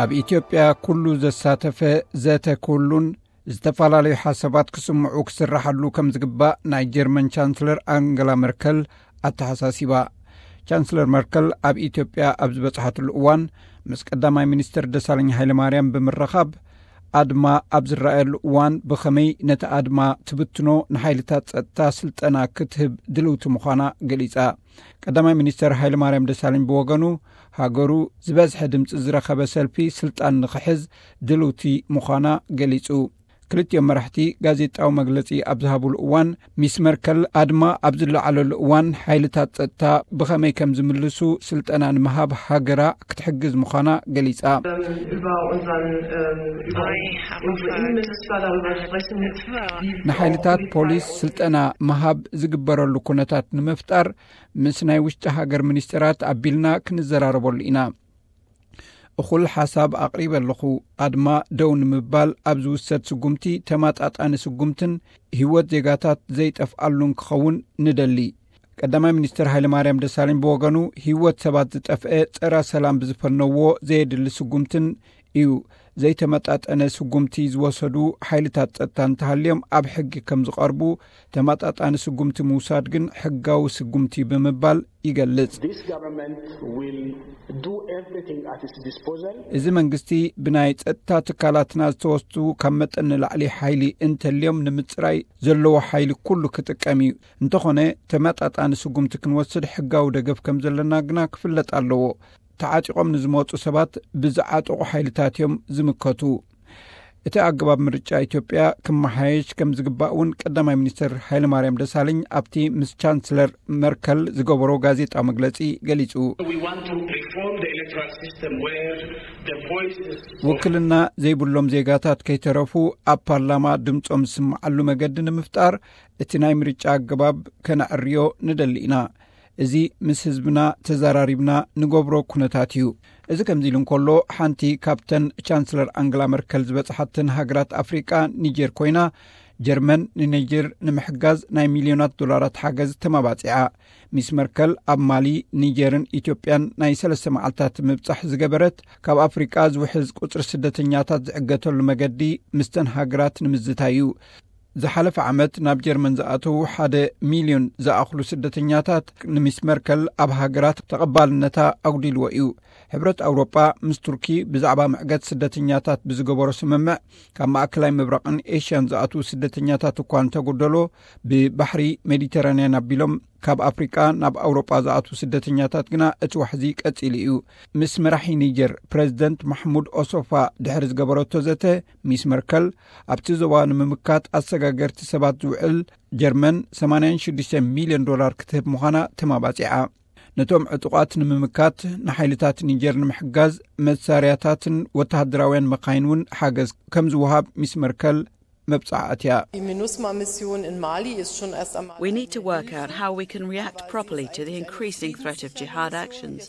ኣብ ኢትዮጵያ ኩሉ ዘሳተፈ ዘተ ክህሉን ዝተፈላለዩ ሓሳባት ክስምዑ ክስራሓሉ ከም ዝግባእ ናይ ጀርመን ቻንስለር ኣንገላ መርከል ኣተሓሳሲባ። ቻንስለር መርከል ኣብ ኢትዮጵያ ኣብ ዝበጽሓትሉ እዋን ምስ ቀዳማይ ሚኒስትር ደሳለኝ ሃይለማርያም ብምርኻብ፣ ኣድማ ኣብ ዝረኣየሉ እዋን ብኸመይ ነቲ ኣድማ ትብትኖ፣ ንሓይልታት ጸጥታ ስልጠና ክትህብ ድልውቲ ምዃና ገሊጻ። ቀዳማይ ሚኒስተር ሃይለማርያም ደሳለኝ ብወገኑ፣ ሃገሩ ዝበዝሐ ድምፂ ዝረኸበ ሰልፊ ስልጣን ንኽሕዝ ድልውቲ ምዃና ገሊጹ። ክልቲኦም መራሕቲ ጋዜጣዊ መግለጺ ኣብ ዝሃብሉ እዋን፣ ሚስ መርከል ኣድማ ኣብ ዝለዓለሉ እዋን ሓይልታት ጸጥታ ብኸመይ ከም ዝምልሱ ስልጠና ንምሃብ ሃገራ ክትሕግዝ ምዃና ገሊጻ። über unseren, ähm, über unsere Innenminister darüber sprechen. ንሓይልታት ፖሊስ ስልጠና ምሃብ ዝግበረሉ ኩነታት ንምፍጣር ምስ ናይ ውሽጢ ሃገር ሚኒስትራት ኣቢልና ክንዘራረበሉ ኢና። እኹል ሓሳብ ኣቕሪበ ኣለኹ። ኣድማ ደው ንምባል ኣብ ዝውሰድ ስጉምቲ ተማጣጣኒ ስጉምትን ህይወት ዜጋታት ዘይጠፍኣሉን ክኸውን ንደሊ። ቀዳማይ ሚኒስትር ሃይለማርያም ደሳለኝ ብወገኑ፣ ህይወት ሰባት ዝጠፍአ ጸረ ሰላም ብዝፈነዎ ዘየድሊ ስጉምትን እዩ። ዘይተመጣጠነ ስጉምቲ ዝወሰዱ ሓይልታት ጸጥታ እንተሃልዮም ኣብ ሕጊ ከም ዝቐርቡ፣ ተመጣጣኒ ስጉምቲ ምውሳድ ግን ሕጋዊ ስጉምቲ ብምባል ይገልጽ። This government will do everything at its disposal. እዚ መንግስቲ ብናይ ጸጥታ ትካላትና ዝተወስዱ ካብ መጠን ንላዕሊ ሓይሊ እንተልዮም ንምጽራይ ዘለዎ ሓይሊ ኩሉ ክጥቀም እዩ። እንተኾነ ተመጣጣኒ ስጉምቲ ክንወስድ ሕጋዊ ደገፍ ከም ዘለና ግና ክፍለጥ ኣለዎ። ተዓጢቖም ንዝመጹ ሰባት ብዝዓጠቑ ሓይልታት እዮም ዝምከቱ። እቲ ኣገባብ ምርጫ ኢትዮጵያ ክመሓየሽ ከም ዝግባእ እውን ቀዳማይ ሚኒስትር ሃይለማርያም ደሳለኝ ኣብቲ ምስ ቻንስለር መርከል ዝገበሮ ጋዜጣዊ መግለጺ ገሊጹ። We want to reform the electoral system where the voices of ውክልና ዘይብሎም ዜጋታት ከይተረፉ ኣብ ፓርላማ ድምጾም ዝስምዓሉ መገዲ ንምፍጣር እቲ ናይ ምርጫ ኣገባብ ከነዕርዮ ንደሊ ኢና። እዚ ምስ ህዝብና ተዘራሪብና ንገብሮ ኩነታት እዩ። እዚ ከምዚ ኢሉ እንከሎ፣ ሓንቲ ካብተን ቻንስለር ኣንግላ መርከል ዝበጽሓተን ሃገራት ኣፍሪቃ ኒጀር ኮይና፣ ጀርመን ንኒጀር ንምሕጋዝ ናይ ሚልዮናት ዶላራት ሓገዝ ተመባጺዓ። ሚስ መርከል ኣብ ማሊ፣ ኒጀርን ኢትዮጵያን ናይ ሰለስተ መዓልታት ምብጻሕ ዝገበረት፣ ካብ ኣፍሪቃ ዝውሕዝ ቁጽሪ ስደተኛታት ዝዕገተሉ መገዲ ምስተን ሃገራት ንምዝታይ እዩ። ዝሓለፈ ዓመት ናብ ጀርመን ዝኣተዉ ሓደ ሚልዮን ዝኣኽሉ ስደተኛታት ንሚስ መርከል ኣብ ሃገራት ተቐባልነታ ኣጉዲልዎ እዩ። ሕብረት ኣውሮጳ ምስ ቱርኪ ብዛዕባ ምዕገት ስደተኛታት ብዝገበሮ ስምምዕ፣ ካብ ማእከላይ ምብራቕን ኤሽያን ዝኣትዉ ስደተኛታት እኳ እንተጎደሎ፣ ብባሕሪ ሜዲተራንያን ኣቢሎም ካብ ኣፍሪቃ ናብ ኣውሮጳ ዝኣትዉ ስደተኛታት ግና እቲ ዋሕዚ ቀጺሉ እዩ። ምስ መራሒ ኒጀር ፕሬዚደንት ማሕሙድ ኦሶፋ ድሕሪ ዝገበረቶ ዘተ፣ ሚስ መርከል ኣብቲ ዞባ ንምምካት ኣሰጋገርቲ ሰባት ዝውዕል ጀርመን ሰማንያን ሽዱሽተ ሚልዮን ዶላር ክትህብ ምዃና ተማባጺዓ። ነቶም ዕጡቓት ንምምካት ንሓይልታት ኒጀር ንምሕጋዝ መሳርያታትን ወተሃደራውያን መካይን እውን ሓገዝ ከም ዝወሃብ ሚስ መርከል መብጻዓ ኣትያ። Die MINUSMA-Mission in Mali ist schon erst einmal. We need to work out how we can react properly to the increasing threat of jihad actions,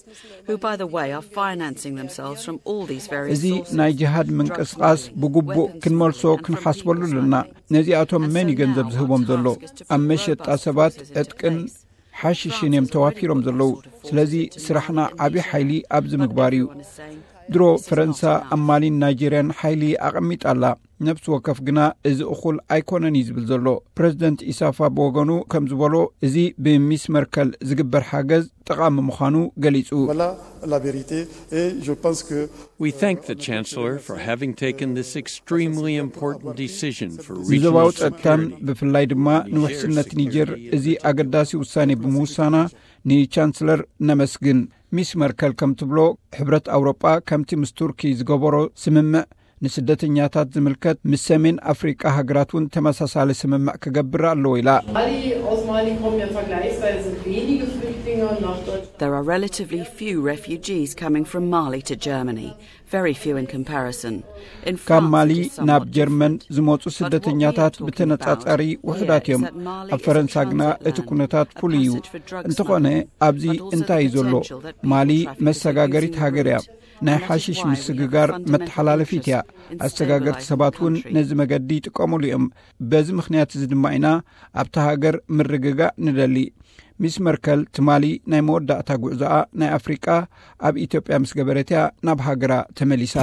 who, by the way, are financing themselves from all these various እዚ ናይ sources. ጅሃድ ምንቅስቓስ ብግቡእ ክንመልሶ ክንሓስበሉ ኣለና። ነዚኣቶም መን እዩ ገንዘብ ዝህቦም ዘሎ? ኣብ መሸጣ ሰባት፣ ዕጥቅን ሓሽሽን እዮም ተዋፊሮም ዘለዉ። ስለዚ ስራሕና ዓቢ ሓይሊ ኣብዚ ምግባር እዩ። ድሮ ፈረንሳ ኣብ ማሊን ናይጀርያን ሓይሊ ኣቐሚጣ ኣላ። ነፍሲ ወከፍ ግና እዚ እኹል ኣይኮነን እዩ ዝብል ዘሎ። ፕረዚደንት ኢሳፋ ብወገኑ ከም ዝበሎ፣ እዚ ብሚስ መርከል ዝግበር ሓገዝ ጠቓሚ ምዃኑ ገሊጹ። Voilà la vérité et je pense que We thank the Chancellor for having taken this extremely important decision for ንዞባዊ regional ጸጥታን security. ብፍላይ ድማ ንውሕስነት ኒጀር እዚ ኣገዳሲ ውሳኔ ብምውሳና ንቻንስለር ነመስግን። ሚስ መርከል ከም ትብሎ፣ ሕብረት ኣውሮጳ ከምቲ ምስ ቱርኪ ዝገበሮ ስምምዕ ንስደተኛታት ዝምልከት ምስ ሰሜን ኣፍሪቃ ሃገራት እውን ተመሳሳሊ ስምምዕ ክገብር ኣለዎ ኢላ። Mali, aus Mali kommen ja vergleichsweise wenige Flüchtlinge nach Deutschland. There are relatively few refugees coming from Mali to Germany, very few in comparison. In ካብ France, ማሊ it is somewhat ናብ ጀርመን different. ዝመጹ ስደተኛታት ብተነጻጻሪ ውሑዳት እዮም። ኣብ ፈረንሳ ግና እቲ ኩነታት ፍሉይ እዩ። እንተኾነ ኣብዚ እንታይ እዩ ዘሎ? ማሊ መሰጋገሪት ሃገር እያ። ናይ ሓሽሽ ምስግጋር መተሓላለፊት እያ። ኣሰጋገርቲ ሰባት እውን ነዚ መገዲ ይጥቀሙሉ እዮም። በዚ ምኽንያት እዚ ድማ ኢና ኣብታ ሃገር ምርግጋእ ንደሊ። ሚስ መርከል ትማሊ ናይ መወዳእታ ጉዕዞኣ ናይ ኣፍሪቃ ኣብ ኢትዮጵያ ምስ ገበረት እያ ናብ ሃገራ ተመሊሳ።